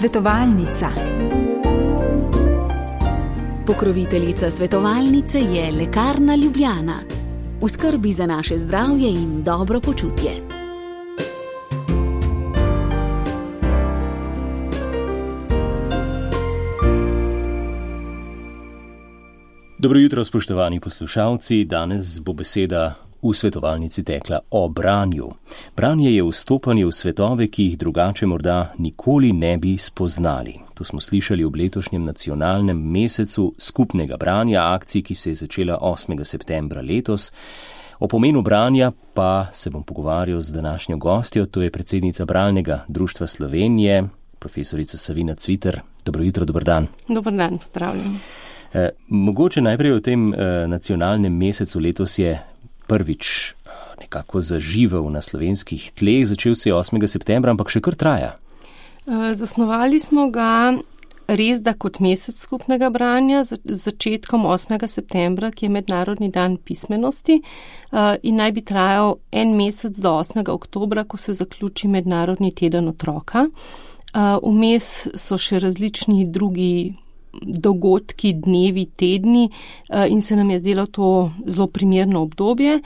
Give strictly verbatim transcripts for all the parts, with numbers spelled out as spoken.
Svetovalnica. Pokroviteljica svetovalnice je Lekarna Ljubljana. V skrbi za naše zdravje in dobro počutje. Dobro jutro, spoštovani poslušalci. Danes bo beseda v svetovalnici tekla o branju. Branje je vstopanje v svetove, ki jih drugače morda nikoli ne bi spoznali. To smo slišali ob letošnjem nacionalnem mesecu skupnega branja, akciji, ki se je začela osmega septembra letos. O pomenu branja pa se bom pogovarjal z današnjo gostjo, to je predsednica Bralnega društva Slovenije, profesorica Savina Cviter. Dobro jutro, dober dan. Dober dan, pozdravljam. Eh, mogoče najprej o tem eh, nacionalnem mesecu. Letos je prvič eh, nekako zaživel na slovenskih tleh, začel se je osmega septembra, ampak še kar traja. Eh, zasnovali smo ga res da kot mesec skupnega branja z začetkom osmega septembra, ki je Mednarodni dan pismenosti, eh, in naj bi trajal en mesec do osmega oktobra, ko se zaključi Mednarodni teden otroka. Eh, vmes so še različni drugi dogodki, dnevi, tedni in se nam je zdelo to zelo primerno obdobje.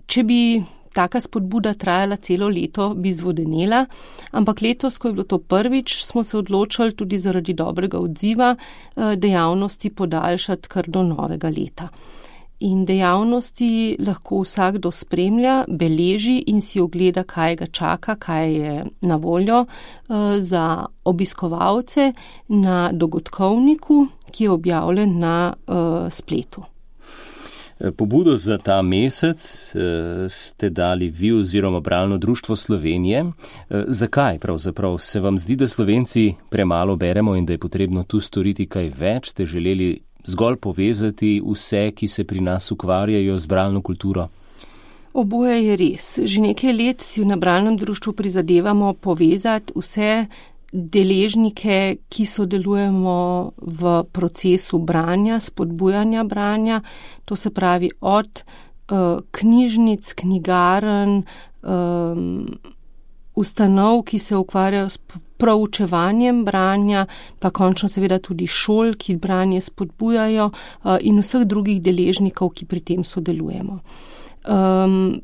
Če bi taka spodbuda trajala celo leto, bi zvodenela, ampak letos, ko je bilo to prvič, smo se odločili tudi zaradi dobrega odziva dejavnosti podaljšati kar do novega leta. In dejavnosti lahko vsakdo spremlja, beleži in si ogleda, kaj ga čaka, kaj je na voljo uh, za obiskovalce na dogodkovniku, ki je objavljen na uh, spletu. Pobudo za ta mesec uh, ste dali vi oziroma Bralno društvo Slovenije. Uh, zakaj pravzaprav? Se vam zdi, da Slovenci premalo beremo in da je potrebno tu storiti kaj več? Ste želeli zgolj povezati vse, ki se pri nas ukvarjajo z bralno kulturo? Oboje je res. Že nekaj let si na Bralnem društvu prizadevamo povezati vse deležnike, ki sodelujemo v procesu branja, spodbujanja branja. To se pravi od uh, knjižnic, knjigarn, um, ustanov, ki se ukvarjajo s proučevanjem branja, pa končno seveda tudi šol, ki branje spodbujajo, in vseh drugih deležnikov, ki pri tem sodelujemo. Um,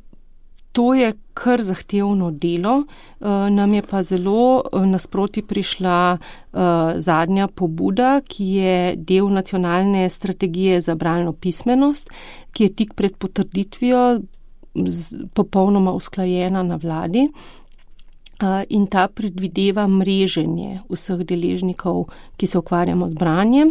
to je kar zahtevno delo, uh, nam je pa zelo nasproti prišla uh, zadnja pobuda, ki je del nacionalne strategije za bralno pismenost, ki je tik pred potrditvijo z, popolnoma usklajena na vladi. In ta predvideva mreženje vseh deležnikov, ki se ukvarjamo z branjem,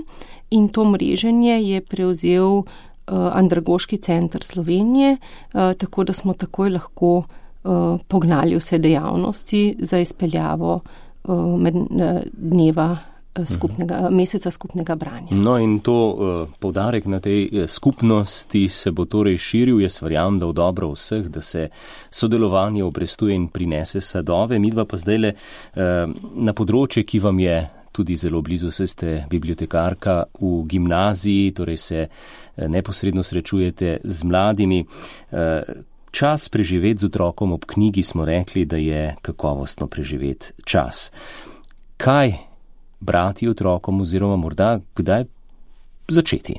in to mreženje je prevzel uh, Andragoški center Slovenije, uh, tako da smo takoj lahko uh, pognali vse dejavnosti za izpeljavo uh, med, uh, dneva skupnega, meseca skupnega branja. No in to uh, poudarek na tej skupnosti se bo torej širil. Jaz verjamem, da v dobro vseh, da se sodelovanje obrestuje in prinese sadove. Midva pa zdajle uh, na področje, ki vam je tudi zelo blizu, saj ste bibliotekarka v gimnaziji, torej se uh, neposredno srečujete z mladimi. Uh, čas preživeti z otrokom ob knjigi smo rekli, da je kakovostno preživeti čas. Kaj brati otrokom oziroma morda kdaj začeti?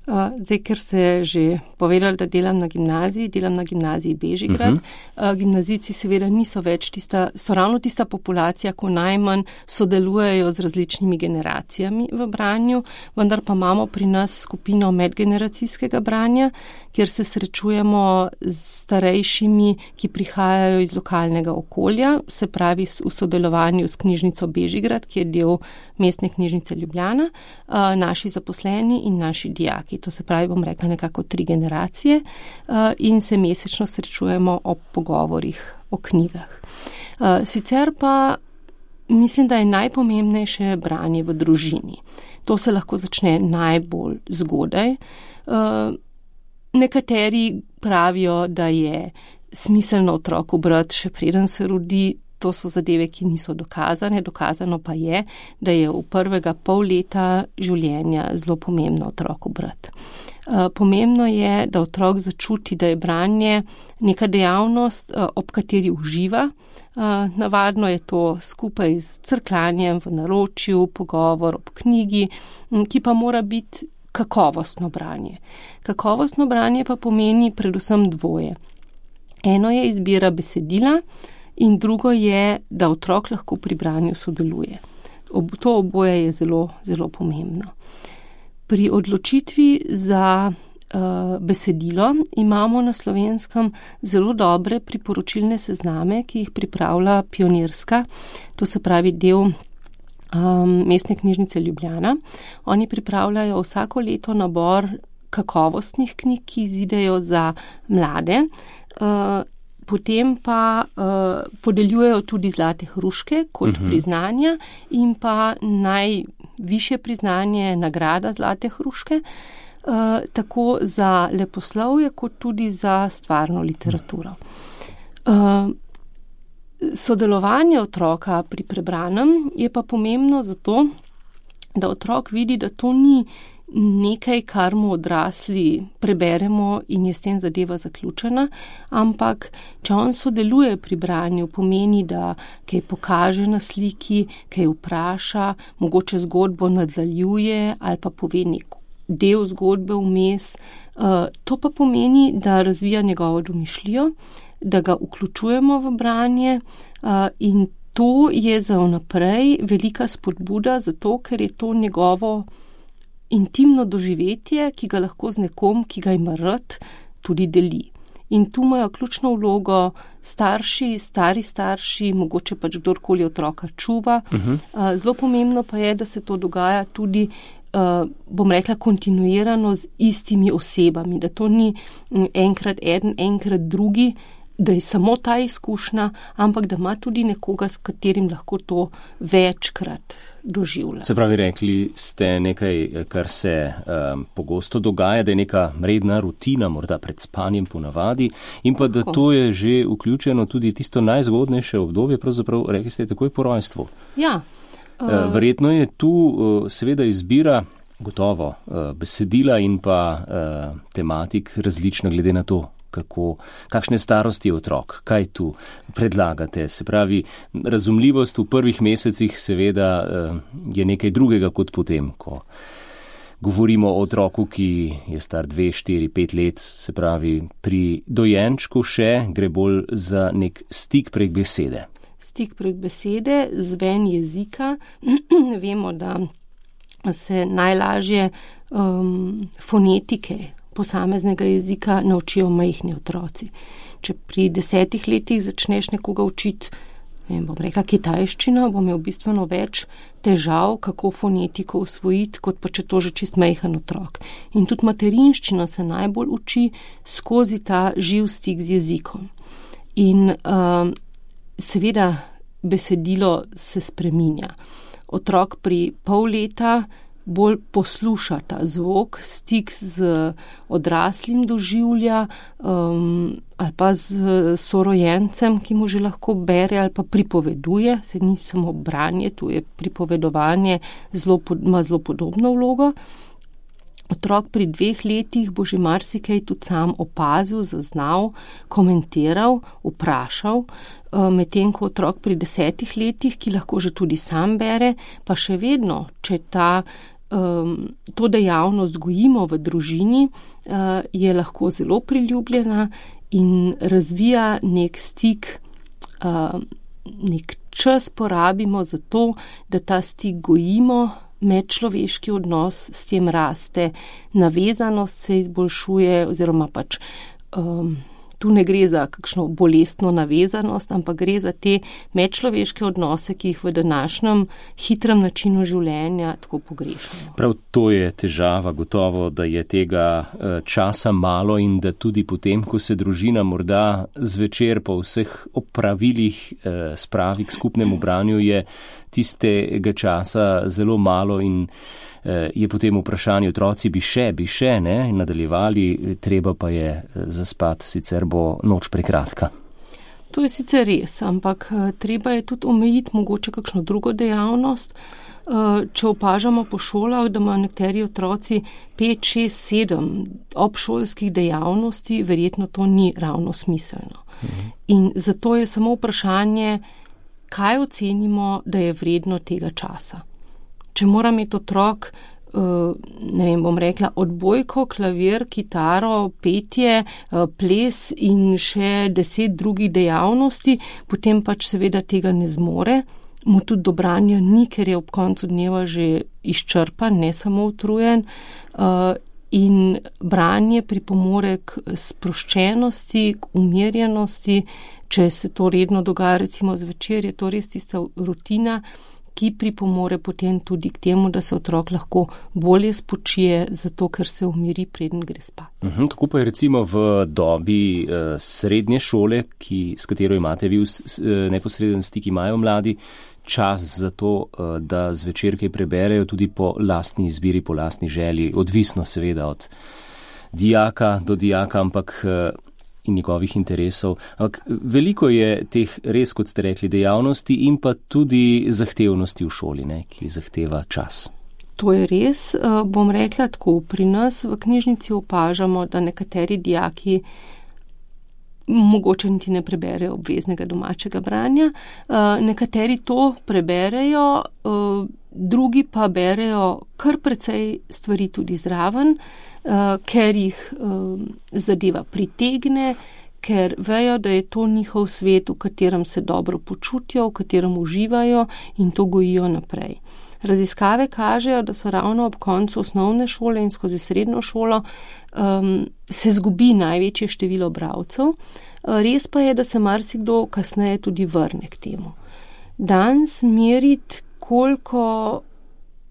Uh, zdaj, ker ste že povedali, da delam na gimnaziji, delam na gimnaziji Bežigrad. Uh-huh. Uh, gimnazijci seveda niso več tista, so ravno tista populacija, ko najmanj sodelujejo z različnimi generacijami v branju, vendar pa imamo pri nas skupino medgeneracijskega branja, kjer se srečujemo z starejšimi, ki prihajajo iz lokalnega okolja, se pravi v sodelovanju s knjižnico Bežigrad, ki je del Mestne knjižnice Ljubljana, uh, naši zaposleni in naši dijaki. To se pravi, bom rekla, nekako tri generacije uh, in se mesečno srečujemo ob pogovorih o knjigah. Uh, sicer pa mislim, da je najpomembnejše branje v družini. To se lahko začne najbolj zgodaj. Uh, nekateri pravijo, da je smiselno otroku brati še preden se rodi. to so zadeve, ki niso dokazane. Dokazano pa je, da je v prvega pol leta življenja zelo pomembno otroku brati. Pomembno je, da otrok začuti, da je branje neka dejavnost, ob kateri uživa. Navadno je to skupaj z crkljanjem v naročju, pogovor ob knjigi, ki pa mora biti kakovostno branje. Kakovostno branje pa pomeni predvsem dvoje. Eno je izbira besedila in drugo je, da otrok lahko pri branju sodeluje. To oboje je zelo, zelo pomembno. Pri odločitvi za uh, besedilo imamo na Slovenskem zelo dobre priporočilne sezname, ki jih pripravlja Pionirska, to se pravi del um, Mestne knjižnice Ljubljana. Oni pripravljajo vsako leto nabor kakovostnih knjig, ki izidejo za mlade, uh, potem pa uh, podeljujejo tudi zlate hruške kot uh-huh. priznanja in pa najvišje priznanje, nagrada zlate hruške, uh, tako za leposlovje kot tudi za stvarno literaturo. Uh, sodelovanje otroka pri prebranem je pa pomembno zato, da otrok vidi, da to ni nekaj, kar mu odrasli preberemo in je s tem zadeva zaključena, ampak če on sodeluje pri branju, pomeni, da kaj pokaže na sliki, kaj vpraša, mogoče zgodbo nadaljuje ali pa pove nek del zgodbe vmes. To pa pomeni, da razvija njegovo domišljijo, da ga vključujemo v branje in to je za vnaprej velika spodbuda, zato ker je to njegovo intimno doživetje, ki ga lahko z nekom, ki ga ima rad, tudi deli. In tu imajo ključno vlogo starši, stari starši, mogoče pač kdorkoli otroka čuva. Uh-huh. Zelo pomembno pa je, da se to dogaja tudi, bom rekla, kontinuirano z istimi osebami, da to ni enkrat eden, enkrat drugi, da je samo ta izkušnja, ampak da ima tudi nekoga, s katerim lahko to večkrat doživlja. Se pravi, rekli ste nekaj, kar se um, pogosto dogaja, da je neka redna rutina, morda pred spanjem ponavadi, in pa da to je že vključeno tudi tisto najzgodnejše obdobje, pravzaprav rekli ste takoj po rojstvu. Ja. Uh, Verjetno je tu uh, seveda izbira gotovo uh, besedila in pa uh, tematik različna glede na to, kako, kakšne starosti je otrok, kaj tu predlagate. Se pravi, razumljivost v prvih mesecih seveda je nekaj drugega kot potem, ko govorimo o otroku, ki je star dve, štiri, pet let. Se pravi, pri dojenčku še gre bolj za nek stik prek besede. Stik prek besede, zven jezika. Vemo, da se najlažje um, fonetike posameznega jezika naučijo majhni otroci. Če pri desetih letih začneš nekoga učiti, ne bom rekla kitajščino, bo imel bistveno več težav, kako fonetiko usvojiti, kot pa če to že čist majhen otrok. In tudi materinščino se najbolj uči skozi ta živ stik z jezikom. In um, seveda besedilo se spreminja. Otrok pri pol leta bolj posluša ta zvok, stik z odraslim doživlja um, ali pa z sorojencem, ki mu že lahko bere ali pa pripoveduje, se ni samo branje, tu je pripovedovanje, zelo, ima zelo podobno vlogo. Otrok pri dveh letih bo že marsikaj tudi sam opazil, zaznal, komentiral, vprašal, medtem ko otrok pri desetih letih, ki lahko že tudi sam bere, pa še vedno, če ta Um, to dejavnost gojimo v družini, uh, je lahko zelo priljubljena in razvija nek stik, uh, nek čas porabimo za to, da ta stik gojimo, medčloveški odnos s tem raste, navezanost se izboljšuje oziroma pač um, tu ne gre za kakšno bolestno navezanost, ampak gre za te medčloveške odnose, ki jih v današnjem hitrem načinu življenja tako pogrešamo. Prav to je težava, gotovo, da je tega časa malo in da tudi potem, ko se družina morda zvečer po vseh opravilih spravi k skupnemu branju, je tistega časa zelo malo in je potem vprašanje, otroci bi še, bi še, ne, nadaljevali, treba pa je zaspat, sicer bo noč prekratka. To je sicer res, ampak treba je tudi omejiti mogoče kakšno drugo dejavnost. Če opažamo po šolah, da imajo nekateri otroci pet, šest, sedem obšolskih dejavnosti, verjetno to ni ravno smiselno. Mhm. In zato je samo vprašanje, kaj ocenimo, da je vredno tega časa. Če mora imeti otrok, ne vem, bom rekla, odbojko, klavir, kitaro, petje, ples in še deset drugih dejavnosti, potem pač seveda tega ne zmore. Mu tudi do branja ni, ker je ob koncu dneva že izčrpan, ne samo utrujen. In branje pripomore k sproščenosti, k umirjenosti. Če se to redno dogaja, recimo zvečer, je to res tista rutina, ki pripomore potem tudi k temu, da se otrok lahko bolje spočije, zato ker se umiri, preden gre spat. Uhum, kako pa je recimo v dobi uh, srednje šole, ki, s katero imate vi v, s, neposreden stik, imajo mladi čas za to, uh, da zvečer kaj preberejo tudi po lastni izbiri, po lastni želji, odvisno seveda od dijaka do dijaka, ampak uh, in njegovih interesov. Ampak veliko je teh, res kot ste rekli, dejavnosti in pa tudi zahtevnosti v šoli, ne, ki zahteva čas. To je res. Bom rekla tako, pri nas v knjižnici opažamo, da nekateri dijaki mogoče niti ne preberejo obveznega domačega branja, nekateri to preberejo, drugi pa berejo kar precej stvari tudi zraven, ker jih zadeva pritegne, ker vejo, da je to njihov svet, v katerem se dobro počutijo, v katerem uživajo in to gojijo naprej. Raziskave kažejo, da so ravno ob koncu osnovne šole in skozi srednjo šolo um, se zgubi največje število bralcev. Res pa je, da se marsikdo kasneje tudi vrne k temu. Danes meriti, koliko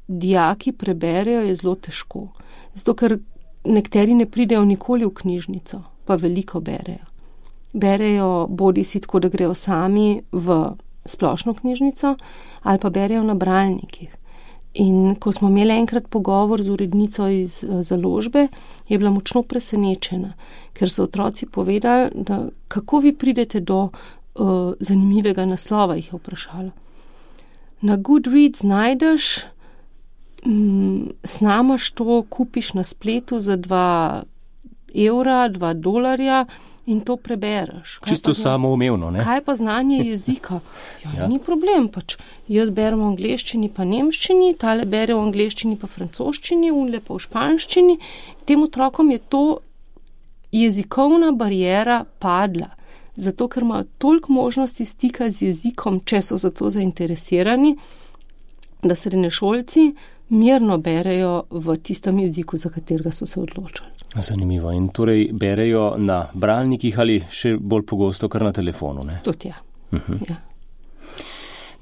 dijaki preberejo, je zelo težko. Zato, ker nekateri ne pridejo nikoli v knjižnico, pa veliko berejo. Berejo bodi si tako, da grejo sami v splošno knjižnico, ali pa berejo na bralnikih. In ko smo imeli enkrat pogovor z urednico iz založbe, je bila močno presenečena, ker so otroci povedali, da kako vi pridete do uh, zanimivega naslova, jih je vprašala. Na Goodreads najdeš, um, snamaš to, kupiš na spletu za dva evra, dva dolarja, in to prebereš. Kaj Čisto samoumevno, ne? Kaj pa znanje jezika? Ja, ja. Ni problem, pač. Jaz berem v angleščini pa nemščini, tale bere v angleščini pa francoščini, unle pa v španščini. Tem otrokom je to jezikovna bariera padla, zato ker imajo toliko možnosti stika z jezikom, če so za to zainteresirani, da srednješolci mirno berejo v tistem jeziku, za katerega so se odločili. Zanimivo. In torej berejo na bralnikih ali še bolj pogosto kar na telefonu, ne? Tudi ja. Uh-huh. Ja.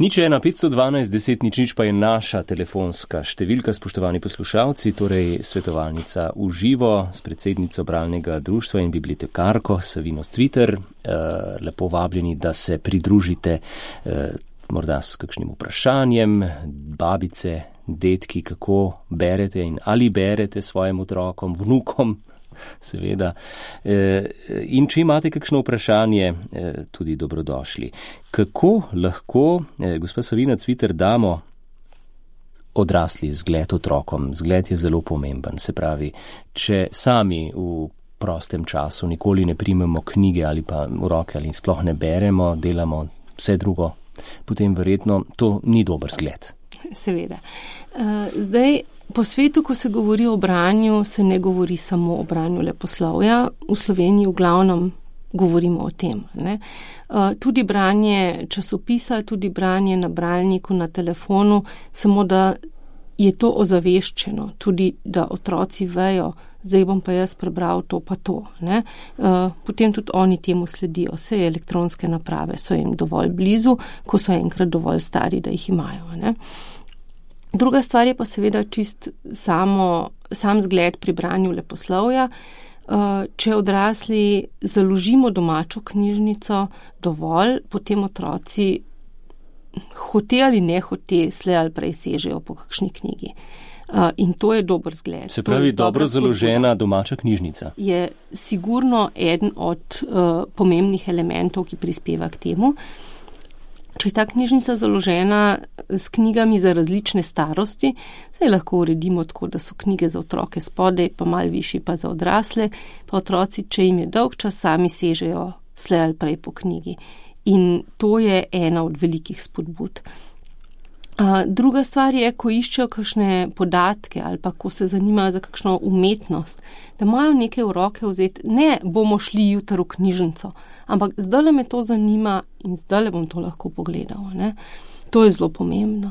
Nič ena, petsto dvanajst, deset, nič nič pa je naša telefonska številka, spoštovani poslušalci, torej svetovalnica v živo s predsednico bralnega društva in bibliotekarko Savino Cviter. Uh, lepo vabljeni, da se pridružite uh, morda s kakšnim vprašanjem, babice, detki, kako berete in ali berete svojim otrokom, vnukom, seveda. In če imate kakšno vprašanje, tudi dobrodošli. Kako lahko, gospa Savina Cviter, damo odrasli zgled otrokom? Zgled je zelo pomemben. Se pravi, če sami v prostem času nikoli ne primemo knjige ali pa v roke ali sploh ne beremo, delamo vse drugo, potem verjetno to ni dober zgled. Seveda. Zdaj, po svetu, ko se govori o branju, se ne govori samo o branju leposlovja. V Sloveniji v glavnem govorimo o tem. Ne? Tudi branje časopisa, tudi branje na bralniku, na telefonu, samo da je to ozaveščeno, tudi da otroci vejo, zdaj bom pa jaz prebral to pa to. Ne? Potem tudi oni temu sledijo. Vse elektronske naprave so jim dovolj blizu, ko so enkrat dovolj stari, da jih imajo. Ne? Druga stvar je pa seveda čist samo, sam zgled pri branju leposlovja. Če odrasli založimo domačo knjižnico dovolj, potem otroci hote ali ne hote, slej ali prej sežejo po kakšni knjigi. Uh, in to je dober zgled. Se pravi, dobro založena domača knjižnica. Je sigurno eden od uh, pomembnih elementov, ki prispeva k temu. Če je ta knjižnica založena s knjigami za različne starosti, zdaj lahko uredimo tako, da so knjige za otroke spodaj, pa malo višji pa za odrasle, pa otroci, če jim je dolg čas, sami sežejo slej ali prej po knjigi. In to je ena od velikih spodbud. Uh, druga stvar je, ko iščejo kakšne podatke ali pa ko se zanimajo za kakšno umetnost, da imajo nekaj v roke vzeti, ne bomo šli jutri v knjižnico, ampak zdaj me to zanima in zdaj bom to lahko pogledal. Ne? To je zelo pomembno.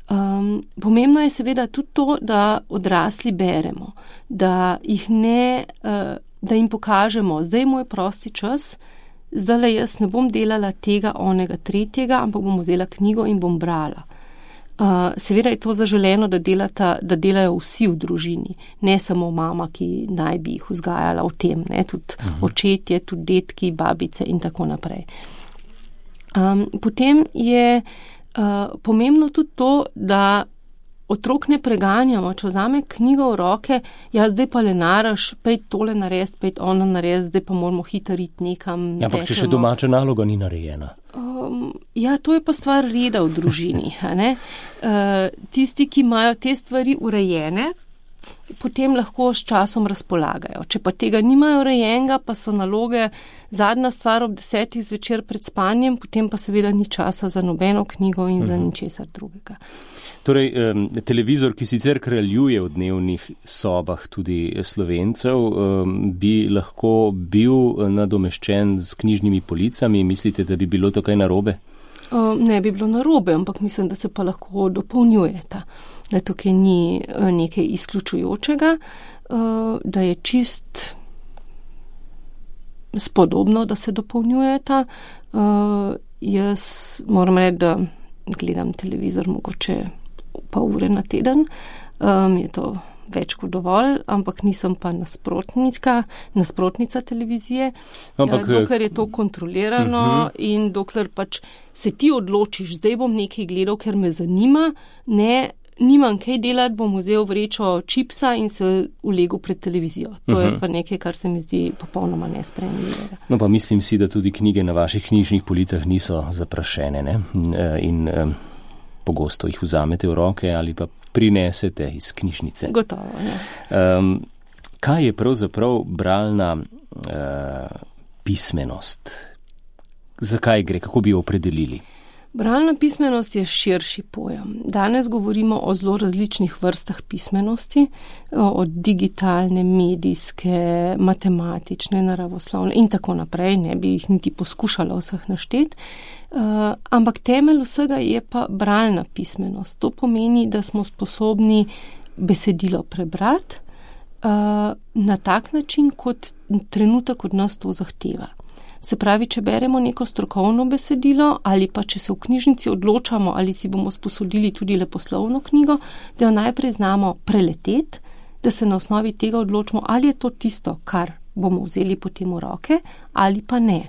Um, pomembno je seveda tudi to, da odrasli beremo, da jih ne, uh, da jim pokažemo, zdaj je moj prosti čas, zdaj jaz ne bom delala tega, onega, tretjega, ampak bom vzela knjigo in bom brala. Uh, seveda je to zaželeno, da, delata, da delajo vsi v družini, ne samo mama, ki naj bi jih vzgajala v tem, ne? Tudi uh-huh. očetje, tudi detki, babice in tako naprej. Um, potem je uh, pomembno tudi to, da otrok ne preganjamo, če vzame knjigo v roke, ja, zdaj pa le naraš, pejt tole narediti, pejt ono narediti, zdaj pa moramo hitro iti nekam. Ja, ampak če še domača naloga ni narejena. Um, ja, to je pa stvar reda v družini. A ne? Uh, tisti, ki imajo te stvari urejene, potem lahko s časom razpolagajo. Če pa tega nimajo urejenega, pa so naloge zadnja stvar ob desetih zvečer pred spanjem, potem pa seveda ni časa za nobeno knjigo in za ničesar drugega. Torej, um, televizor, ki sicer kraljuje v dnevnih sobah tudi Slovencev, um, bi lahko bil nadomeščen z knjižnimi policami. Mislite, da bi bilo to kaj narobe? Uh, ne bi bilo narobe, ampak mislim, da se pa lahko dopolnjujeta. Da tukaj ni uh, nekaj izključujočega, uh, da je čist spodobno, da se dopolnjujeta. Uh, jaz moram reči, da gledam televizor mogoče pa ure na teden, um, je to več kot dovolj, ampak nisem pa nasprotnica, nasprotnica televizije, ampak, ja, dokler je to kontrolirano uh-huh. in dokler pač se ti odločiš, zdaj bom nekaj gledal, ker me zanima, ne, nimam kaj delati, bom vzel vrečo čipsa in se ulegel pred televizijo. To uh-huh. je pa nekaj, kar se mi zdi popolnoma nesprejemljivo. No pa mislim si, da tudi knjige na vaših knjižnih policah niso zaprašene, ne? In um, pogosto jih vzamete v roke ali pa prinesete iz knjižnice. Gotovo, ja. Um, kaj je pravzaprav bralna uh, pismenost? Zakaj gre? Kako bi jo opredelili? Bralna pismenost je širši pojem. Danes govorimo o zelo različnih vrstah pismenosti, od digitalne, medijske, matematične, naravoslovne in tako naprej. Ne bi jih niti poskušala vseh našteti. Uh, ampak temelj vsega je pa bralna pismenost. To pomeni, da smo sposobni besedilo prebrati uh, na tak način, kot trenutek od nas to zahteva. Se pravi, če beremo neko strokovno besedilo ali pa če se v knjižnici odločamo ali si bomo sposodili tudi leposlovno knjigo, da jo najprej znamo preleteti, da se na osnovi tega odločimo, ali je to tisto, kar bomo vzeli potem v roke ali pa ne.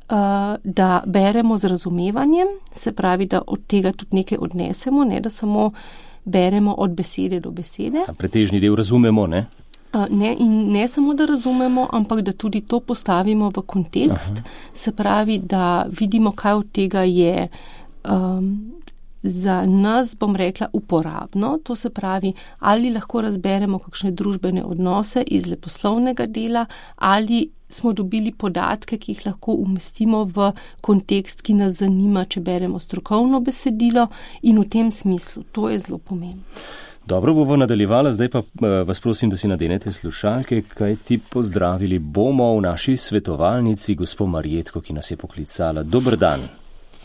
Uh, da beremo z razumevanjem, se pravi, da od tega tudi nekaj odnesemo, ne da samo beremo od besede do besede. A pretežni del razumemo, ne? Ne, in ne samo, da razumemo, ampak da tudi to postavimo v kontekst. Aha. Se pravi, da vidimo, kaj od tega je um, za nas, bom rekla, uporabno. To se pravi, ali lahko razberemo kakšne družbene odnose iz leposlovnega dela, ali smo dobili podatke, ki jih lahko umestimo v kontekst, ki nas zanima, če beremo strokovno besedilo, in v tem smislu. To je zelo pomembno. Dobro, bomo nadaljevali, zdaj pa vas prosim, da si nadenete slušalke, kaj ti pozdravili bomo v naši svetovalnici, gospo Marjetko, ki nas je poklicala. Dober dan.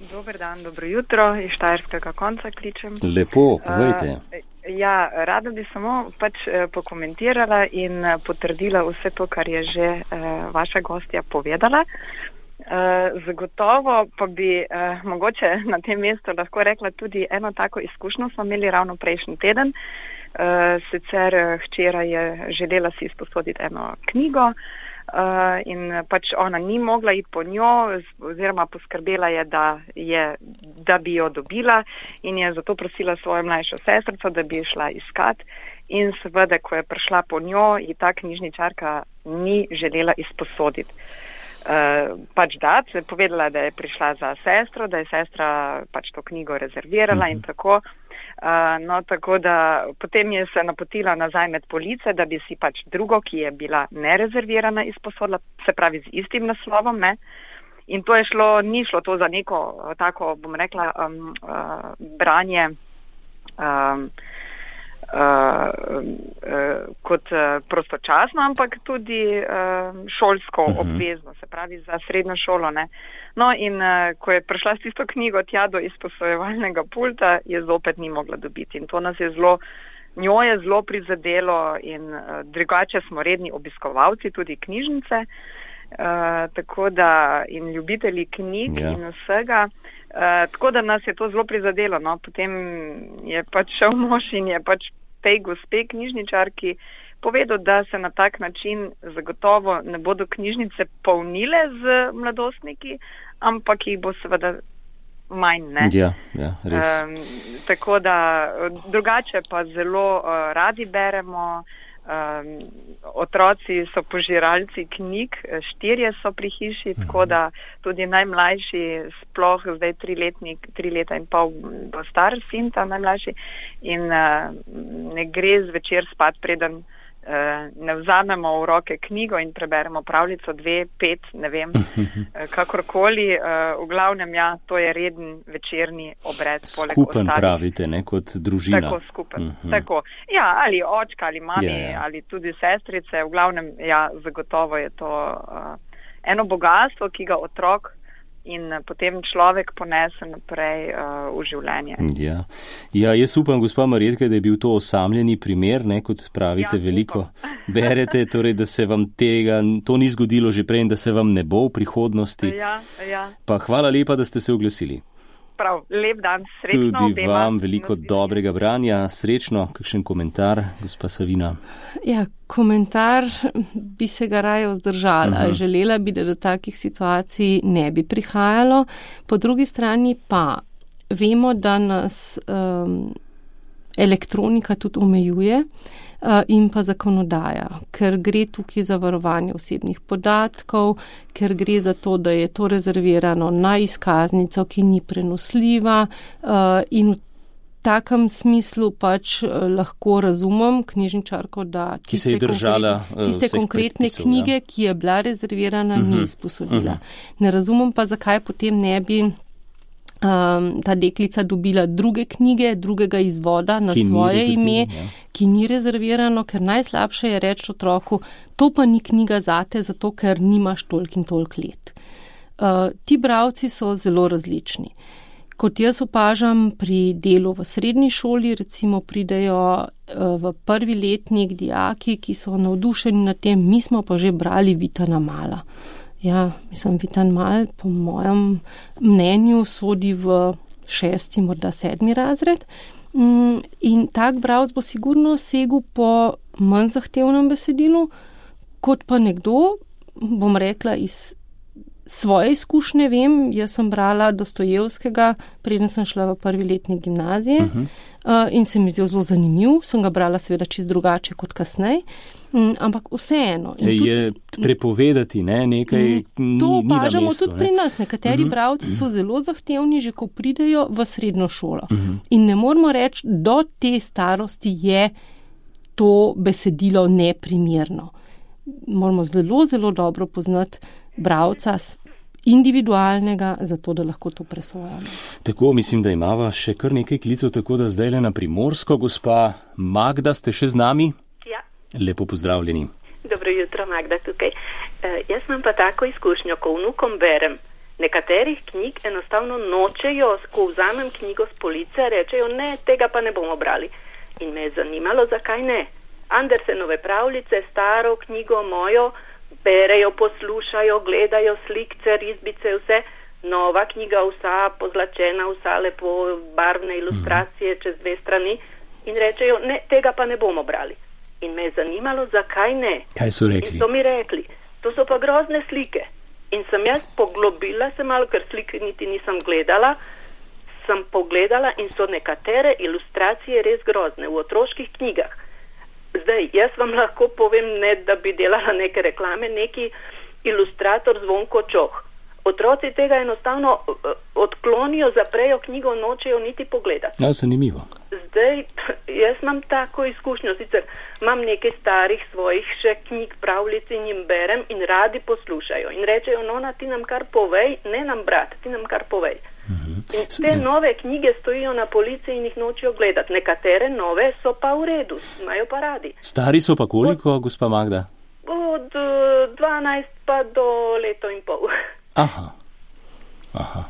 Dober dan, dobro jutro, iz Štajerskega konca kličem. Lepo, povejte. Uh, ja, rada bi samo pač uh, pokomentirala in uh, potrdila vse to, kar je že uh, vaša gostja povedala. Uh, zagotovo pa bi uh, mogoče na tem mestu lahko rekla tudi eno tako izkušnjo smo imeli ravno prejšnji teden. Uh, sicer hčera je želela si izposoditi eno knjigo uh, in pač ona ni mogla iti po njo oziroma poskrbela je, da je da bi jo dobila in je zato prosila svojo mlajšo sestrico, da bi jo šla iskat. In seveda, ko je prišla po njo, ji ta knjižničarka ni želela izposoditi. Uh, pač da, se je povedala, da je prišla za sestro, da je sestra pač to knjigo rezervirala in tako. Uh, no, tako da potem je se napotila nazaj med police, da bi si pač drugo, ki je bila nerezervirana, izposodila, se pravi z istim naslovom, ne. In to je šlo, ni šlo to za neko tako, bom rekla, um, uh, branje um, uh, uh, kot uh, prostočasno, ampak tudi uh, šolsko uh-huh. obvezno, se pravi za srednjo šolo, ne. No in uh, ko je prišla s tisto knjigo tja do izposojevalnega pulta, je zopet ni mogla dobiti. In to nas je zelo, njo je zelo prizadelo in uh, drugače smo redni obiskovalci tudi knjižnice, uh, tako da in ljubitelji knjig yeah. in vsega. Uh, tako da nas je to zelo prizadelo. No. Potem je pač šel mož in je pač tej gospe knjižničarki povedal, da se na tak način zagotovo ne bodo knjižnice polnile z mladostniki, ampak jih bo seveda manj, ne? Ja, ja, res. Um, tako da drugače pa zelo uh, radi beremo, um, otroci so požiralci knjig, štirje so pri hiši, mhm. tako da tudi najmlajši, sploh zdaj triletnik, tri leta in pol bo star sin, ta najmlajši, in uh, ne gre zvečer spat, preden Uh, ne vzamemo v roke knjigo in preberemo pravljico, dve, pet, ne vem, uh, kakorkoli. Uh, v glavnem, ja, to je reden večerni obred. Skupen pravite, ne, kot družina. Tako, skupen. Uh-huh. Tako. Ja, ali očka, ali mami, yeah, yeah. ali tudi sestrice. V glavnem, ja, zagotovo je to uh, eno bogatstvo, ki ga otrok in potem človek ponese naprej uh, v življenje. Ja. ja, jaz upam, gospa Marjetka, da je bil to osamljeni primer, ne, kot pravite, ja, veliko berete, torej, da se vam tega, to ni zgodilo že prej in da se vam ne bo v prihodnosti. Ja, ja. Pa hvala lepa, da ste se oglasili. Prav, lep dan, srečno Tudi obema. vam veliko dobrega branja, srečno. Kakšen komentar, gospa Savina? Ja, komentar bi se ga raje vzdržala. Uh-huh. Želela bi, da do takih situacij ne bi prihajalo. Po drugi strani pa vemo, da nas um, elektronika tudi omejuje uh, in pa zakonodaja, ker gre tukaj za varovanje osebnih podatkov, ker gre za to, da je to rezervirano na izkaznico, ki ni prenosljiva uh, in v takem smislu pač uh, lahko razumem knjižničarko, da tiste, držala, konkretne, tiste konkretne knjige, ja. ki je bila rezervirana, uh-huh. ni izposodila. Uh-huh. Ne razumem pa, zakaj potem ne bi Um, ta deklica dobila druge knjige, drugega izvoda na ki svoje ime, ja. ki ni rezervirano, ker najslabše je reči otroku, to pa ni knjiga zate, zato ker nimaš toliko in toliko let. Uh, ti bralci so zelo različni. Kot jaz opažam pri delu v srednji šoli, recimo pridejo uh, v prvi letnik dijaki, ki so navdušeni nad tem, mi smo pa že brali Vitana Mala. Ja, mislim, Vitan Mal, po mojem mnenju, sodi v šesti, morda sedmi razred. In tak bralec bo sigurno segel po manj zahtevnem besedilu, kot pa nekdo, bom rekla, iz svoje izkušnje vem, jaz sem brala Dostojevskega, preden sem šla v prvi letnik gimnazije uh-huh. uh, in se mi zdel zelo zanimiv, sem ga brala seveda čist drugače kot kasnej. Mm, ampak vseeno. Je tudi, prepovedati, ne, nekaj mm, to ni, ni opažamo na mestu, tudi ne? Pri nas. Nekateri uh-huh. bralci so zelo zahtevni, že ko pridejo v srednjo šolo. Uh-huh. In ne moramo reči, do te starosti je to besedilo neprimerno. Moramo zelo, zelo dobro poznati bralca individualnega, zato da lahko to presojamo. Tako, mislim, da imava še kar nekaj klicev, tako da zdaj le na Primorsko. Gospa Magda, ste še z nami? Lepo pozdravljeni. Dobro jutro, Magda tukaj. E, jaz imam pa tako izkušnjo, ko vnukom berem. Nekaterih knjig enostavno nočejo, ko vzamem knjigo s police, rečejo, ne, tega pa ne bomo brali. In me je zanimalo, zakaj ne. Andersenove pravljice, staro knjigo mojo, berejo, poslušajo, gledajo slikce, risbice, vse. Nova knjiga, vsa pozlačena, vsa lepo barvne ilustracije mm. čez dve strani. In rečejo, ne, tega pa ne bomo brali. In me je zanimalo, zakaj ne. Kaj so rekli? In so mi rekli, to so pa grozne slike. In sem jaz poglobila se malo, ker slike niti nisem gledala, sem pogledala in so nekatere ilustracije res grozne v otroških knjigah. Zdaj, jaz vam lahko povem, ne da bi delala neke reklame, neki ilustrator Zvonko Čoh. Otroci tega enostavno odklonijo, zaprejo knjigo, nočejo niti pogledati. Ja, zanimivo. Zdaj, jaz imam tako izkušnjo, sicer imam nekaj starih svojih še knjig, pravljic in jim berem in radi poslušajo. In rečejo, nona, ti nam kar povej, ne nam brat, ti nam kar povej. In te nove knjige stojijo na polici in jih nočejo gledati. Nekatere nove so pa v redu, imajo pa radi. Stari so pa koliko, od, gospa Magda? Od dvanajst pa do leto in pol. Aha. Aha.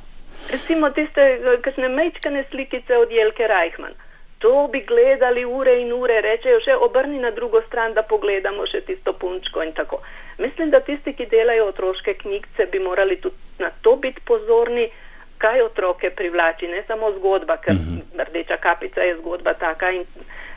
Recimo tiste kakšne mečkane slikice od Jelke Reichmann. To bi gledali ure in ure, rečejo še obrni na drugo stran, da pogledamo še tisto punčko in tako. Mislim, da tisti, ki delajo otroške knjigce, bi morali tudi na to biti pozorni, kaj otroke privlači, ne samo zgodba, ker mm-hmm. Rdeča kapica je zgodba taka in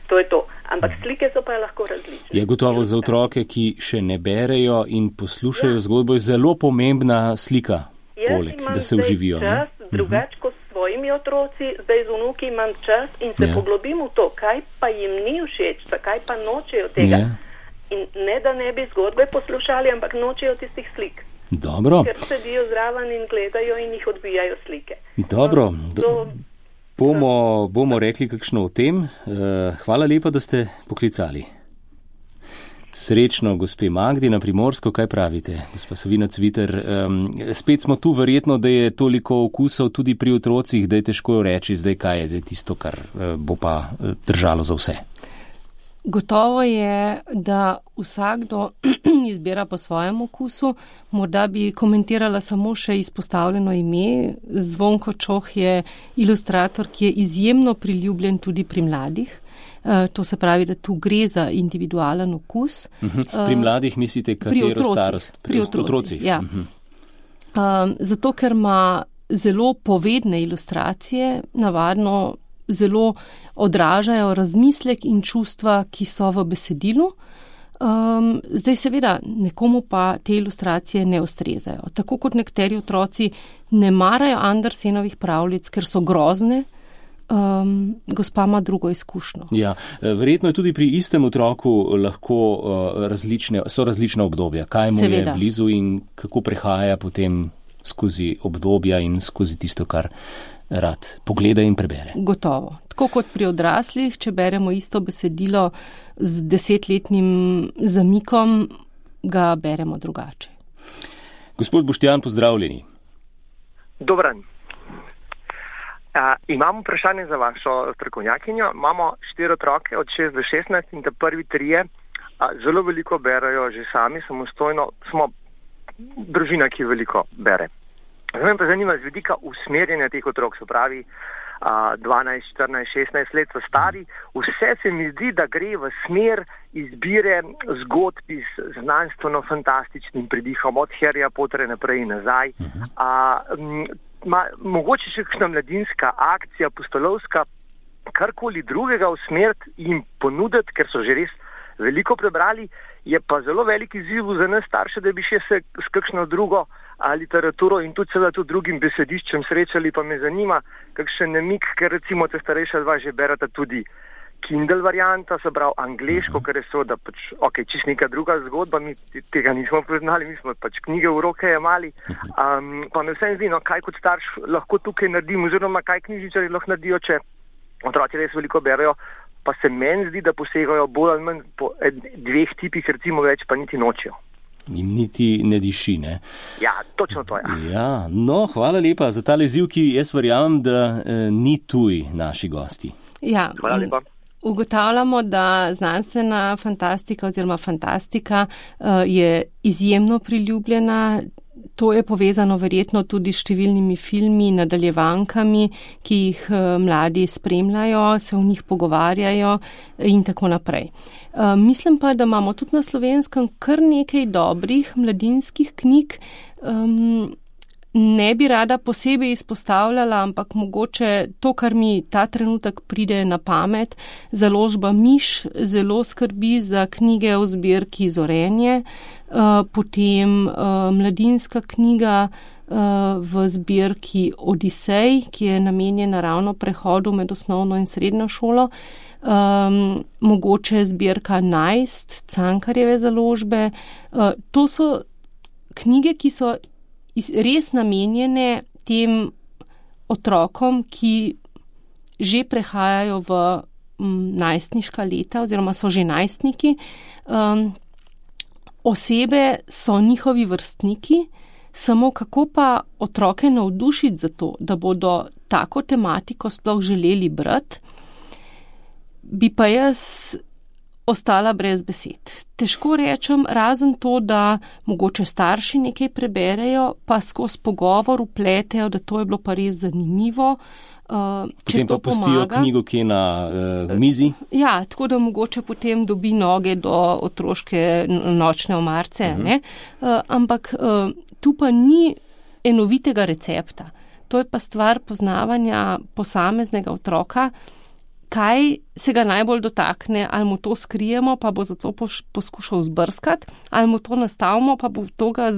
to je to. Ampak slike so pa lahko različne. Je gotovo za otroke, ki še ne berejo in poslušajo ja. zgodbo, je zelo pomembna slika, poleg, da se uživijo. Jaz imam čas, drugač kot s svojimi otroci, zdaj z vnuki imam čas in se ja. poglobim v to, kaj pa jim ni všeč, zakaj pa nočejo tega. Ja. In ne, da ne bi zgodbe poslušali, ampak nočejo tistih slik. Dobro. Ker sedijo zraven in gledajo in jih odbijajo slike. Dobro. Do, bomo, bomo rekli kakšno o tem. Hvala lepa, da ste poklicali. Srečno, gospe Magdi na Primorsko, kaj pravite, gospa Savina Cviter? Spet smo tu, verjetno, da je toliko okusov tudi pri otrocih, da je težko reči zdaj, kaj je zdaj tisto, kar bo pa držalo za vse. Gotovo je, da vsakdo izbira po svojem okusu. Morda bi komentirala samo še izpostavljeno ime. Zvonko Čoh je ilustrator, ki je izjemno priljubljen tudi pri mladih. To se pravi, da tu gre za individualen okus. Uh-huh. Pri mladih mislite, katero pri starost? Pri otrocih, otrocih. Ja. Uh-huh. um, zato, ker ima zelo povedne ilustracije, navadno zelo odražajo razmislek in čustva, ki so v besedilu. Um, zdaj seveda nekomu pa te ilustracije ne ustrezajo. Tako kot nekateri otroci ne marajo Andersenovih pravljic, ker so grozne, um, gospa ima drugo izkušnjo. Ja, verjetno je tudi pri istem otroku lahko uh, različne, so različna obdobja. Kaj mu seveda je blizu in kako prehaja potem skozi obdobja in skozi tisto, kar rad pogleda in prebere. Gotovo. Tako kot pri odraslih, če beremo isto besedilo z desetletnim zamikom, ga beremo drugače. Gospod Boštjan, pozdravljeni. Dobran. Uh, imam vprašanje za vašo strokovnjakinjo. Imamo štiri otroke od šest do šestnajst in te prvi trije uh, zelo veliko berajo že sami, samostojno. Smo družina, ki veliko bere. Zdaj pa zanima z vidika usmerjanja teh otrok, se pravi dvanajst, štirinajst, šestnajst let so stari, vse se mi zdi, da gre v smer izbire zgodb z znanstveno-fantastičnim pridihom od Harryja Potterja naprej in nazaj. A, ma, mogoče še kakšna mladinska akcija, pustolovska, karkoli drugega usmeriti in ponuditi, ker so že res veliko prebrali, je pa zelo velik izziv za nas starše, da bi še se s kakšno drugo a, literaturo in tudi seveda tudi drugim besediščem srečali, pa me zanima kakšen namik, ker recimo te starejša dva že berata tudi Kindle varianta, se pravi angleško, ker je seveda pač, ok, čist neka druga zgodba, mi tega nismo poznali, mi smo pač knjige v roke jemali, um, pa me vsem zdi, no, kaj kot starš lahko tukaj naredim, oziroma kaj knjižničarji lahko naredijo, če otroci res veliko berajo, pa se meni zdi, da posegajo bolj ali manj po dveh tipih, recimo več pa niti nočejo. Jim niti ne diši, ne? Ja, točno to je. Ja. Ja, no, hvala lepa za ta leziv, ki jaz verjamem, da eh, ni tuj naši gosti. Ja, hvala lepa. Ugotavljamo, da znanstvena fantastika oziroma fantastika uh, je izjemno priljubljena. To je povezano verjetno tudi s številnimi filmi, nadaljevankami, ki jih mladi spremljajo, se v njih pogovarjajo in tako naprej. Mislim pa, da imamo tudi na Slovenskem kar nekaj dobrih mladinskih knjig. Ne bi rada posebej izpostavljala, ampak mogoče to, kar mi ta trenutek pride na pamet, založba Miš zelo skrbi za knjige v zbirki Zorenje, potem mladinska knjiga v zbirki Odisej, ki je namenjena ravno prehodu med osnovno in srednjo šolo. Um, mogoče zbirka Najst, Cankarjeve založbe. Uh, to so knjige, ki so res namenjene tem otrokom, ki že prehajajo v um, najstniška leta oziroma so že najstniki. Um, osebe so njihovi vrstniki, samo kako pa otroke navdušiti za to, da bodo tako tematiko sploh želeli brati, bi pa jaz ostala brez besed. Težko rečem, razen to, da mogoče starši nekaj preberejo, pa skozi pogovor vpletejo, da to je bilo pa res zanimivo. Uh, potem pa pustijo knjigo, ki je na uh, mizi. Ja, tako da mogoče potem dobi noge do otroške nočne omarce. Uh-huh. Ne? Uh, ampak uh, tu pa ni enovitega recepta. To je pa stvar poznavanja posameznega otroka, kaj se ga najbolj dotakne, ali mu to skrijemo, pa bo zato poskušal zbrskati, ali mu to nastavimo, pa bo to ga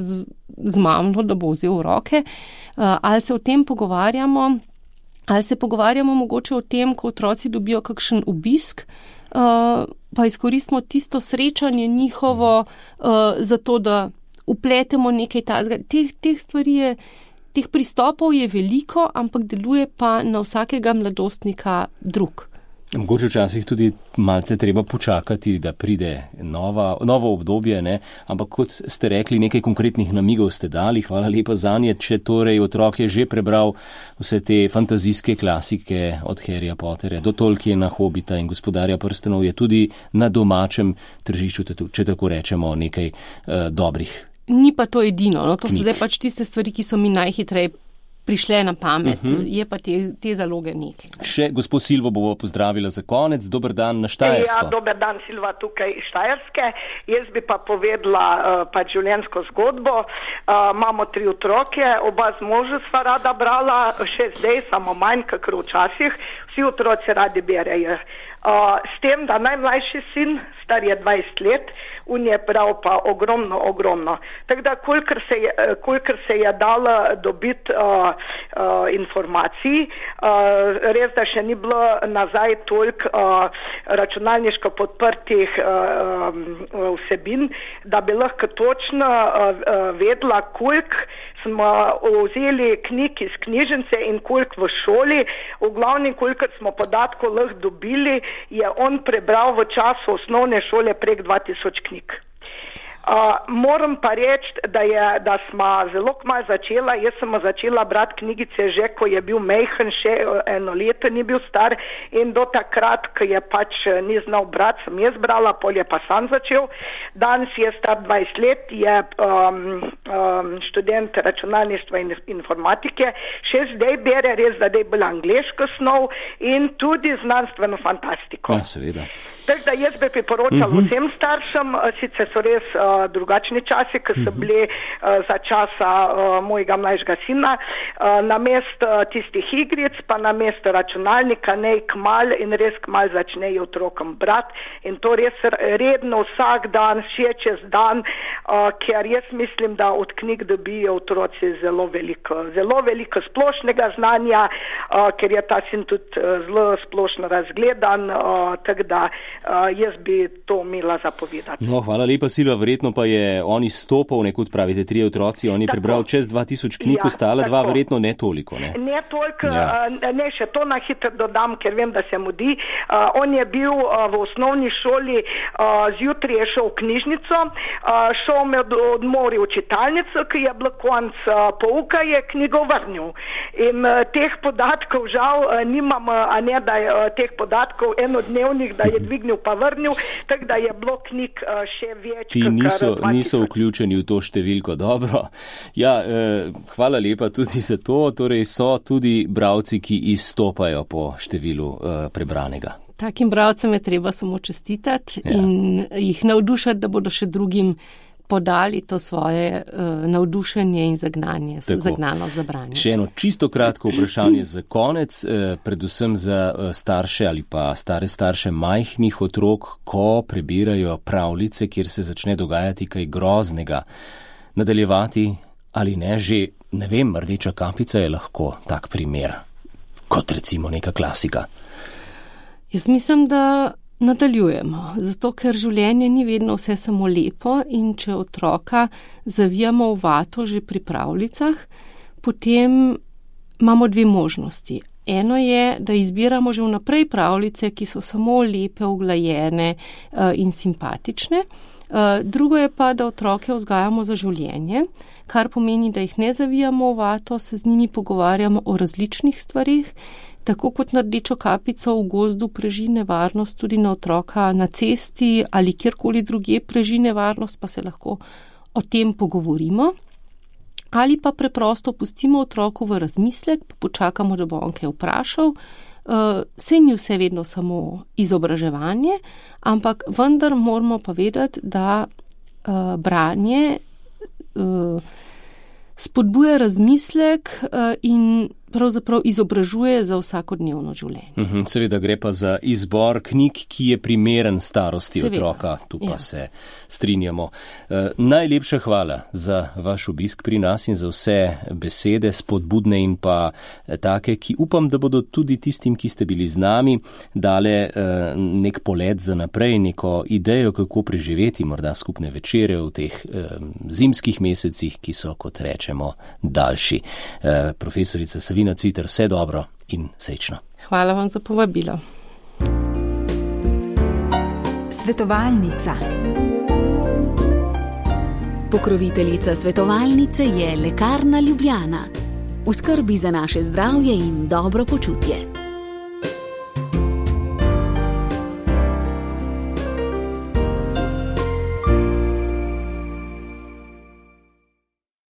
zmamlo, da bo vzel v roke, uh, ali se o tem pogovarjamo, ali se pogovarjamo mogoče o tem, ko otroci dobijo kakšen obisk, uh, pa izkoristimo tisto srečanje njihovo, uh, zato da upletemo nekaj tazga. Teh, teh stvari je, teh pristopov je veliko, ampak deluje pa na vsakega mladostnika drug. Mogoče včasih tudi malce treba počakati, da pride nova, novo obdobje, ne? Ampak kot ste rekli, nekaj konkretnih namigov ste dali, hvala lepa zanje. Če torej otrok je že prebral vse te fantazijske klasike od Harryja Potterja do Tolkiena, Hobita in Gospodarja prstanov, je tudi na domačem tržišču, če tako rečemo, nekaj uh, dobrih. Ni pa to edino, no? To knjig. So zdaj pač tiste stvari, ki so mi najhitreje prišle na pamet, uh-huh. Je pa te, te zaloge nekaj. Še gospod Silvo bomo pozdravila za konec. Dober dan na Štajersko. Ja, dober dan, Silva, tukaj iz Štajerske. Jaz bi pa povedala uh, pač življenjsko zgodbo. Uh, imamo tri otroke, oba z možem sva rada brala, še zdaj, samo manj, kakor včasih. Vsi otroci radi berejo. Uh, s tem, da najmlajši sin, star je dvajset let, on je bral pa ogromno, ogromno. Tako da, kolikor se je, kolikor se je dalo dobiti uh, uh, informacij, uh, res da še ni bilo nazaj toliko uh, računalniško podprtih uh, um, vsebin, da bi lahko točno uh, uh, vedela, koliko smo vzeli knjig iz knjižnice in koliko v šoli. V glavnem, koliko smo podatkov lahko dobili, je on prebral v času osnovne šole prek dva tisoč knjig. Uh, moram pa reči, da, je, da smo zelo kmalu začela, jaz sem začela brati knjigice že, ko je bil mejhen, še eno leto ni bil star in do takrat, ko je pač ni znal brati, sem jaz brala, pol je pa sam začel. Danes je star dvajset let, je um, um, študent računalništva in informatike, še zdaj bere, res da je bolj angleško snov in tudi znanstveno fantastiko. Ja, seveda. Tako da jaz bi priporočala uh-huh. vsem staršem, sicer so res uh, drugačni časi, ki so bili uh, za časa uh, mojega mlajšega sina, uh, na mest uh, tistih igric, pa na mest računalnika, nej kmal in res kmal začnejo otrokom brati in to res redno vsak dan, še čez dan, uh, ker jaz mislim, da od knjig dobijo otroci zelo veliko, zelo veliko splošnega znanja, uh, ker je ta sin tudi uh, zelo splošno razgledan, uh, tako da Uh, jaz bi to imela zapovedati. No, hvala lepa, Silva, verjetno pa je on izstopal, nekot pravite, tri otroci, on je tako prebral čez dva tisoč knjig, ja, ostala dva verjetno ne toliko, ne? Ne toliko, ja. uh, ne, še to na hitro dodam, ker vem, da se mudi. Uh, on je bil uh, v osnovni šoli, uh, zjutraj je šel v knjižnico, uh, šel med odmori v čitalnico, ki je bilo konc uh, pouka, je knjigo vrnil. In uh, teh podatkov žal uh, nimam, uh, a ne da je uh, teh podatkov enodnevnih, da je dvignil pa vrnil, tako da je bilo knjig uh, še več. Ti niso, niso vključeni v to številko, dobro. Ja, eh, hvala lepa tudi za to, torej so tudi bralci, ki izstopajo po številu eh, prebranega. Takim bralcem je treba samo čestitati ja. in jih navdušati, da bodo še drugim podali to svoje uh, navdušenje in zagnanje, zagnano za branje. Še eno čisto kratko vprašanje za konec, eh, predvsem za eh, starše ali pa stare starše majhnih otrok, ko prebirajo pravljice, kjer se začne dogajati kaj groznega. Nadaljevati ali ne, že, ne vem, rdeča kapica je lahko tak primer, kot recimo neka klasika. Jaz mislim, da nadaljujemo, zato ker življenje ni vedno vse samo lepo in če otroka zavijamo v vato že pri pravljicah, potem imamo dve možnosti. Eno je, da izbiramo že vnaprej pravljice, ki so samo lepe, uglajene uh, in simpatične. Uh, drugo je pa, da otroke vzgajamo za življenje, kar pomeni, da jih ne zavijamo v vato, se z njimi pogovarjamo o različnih stvarih, tako kot na rdečo kapico v gozdu preži nevarnost, tudi na otroka na cesti ali kjerkoli drugje preži nevarnost, pa se lahko o tem pogovorimo. Ali pa preprosto pustimo otroku v razmislek, pa počakamo, da bo on kaj vprašal. Uh, sej ni vse vedno samo izobraževanje, ampak vendar moramo pa vedeti, da uh, branje uh, spodbuja razmislek uh, in pravzaprav izobražuje za vsakodnevno življenje. Uhum, seveda gre pa za izbor knjig, ki je primeren starosti seveda. Otroka, tu pa ja. Se strinjamo. E, najlepša hvala za vaš obisk pri nas in za vse besede, spodbudne in pa take, ki upam, da bodo tudi tistim, ki ste bili z nami, dale e, nek polet za naprej, neko idejo, kako preživeti morda skupne večere v teh e, zimskih mesecih, ki so, kot rečemo, daljši. E, profesorica Savina Cviter, vse dobro in srečno. Hvala vam za povabilo. Svetovalnica. Pokroviteljica svetovalnice je Lekarna Ljubljana. V skrbi za naše zdravje in dobro počutje.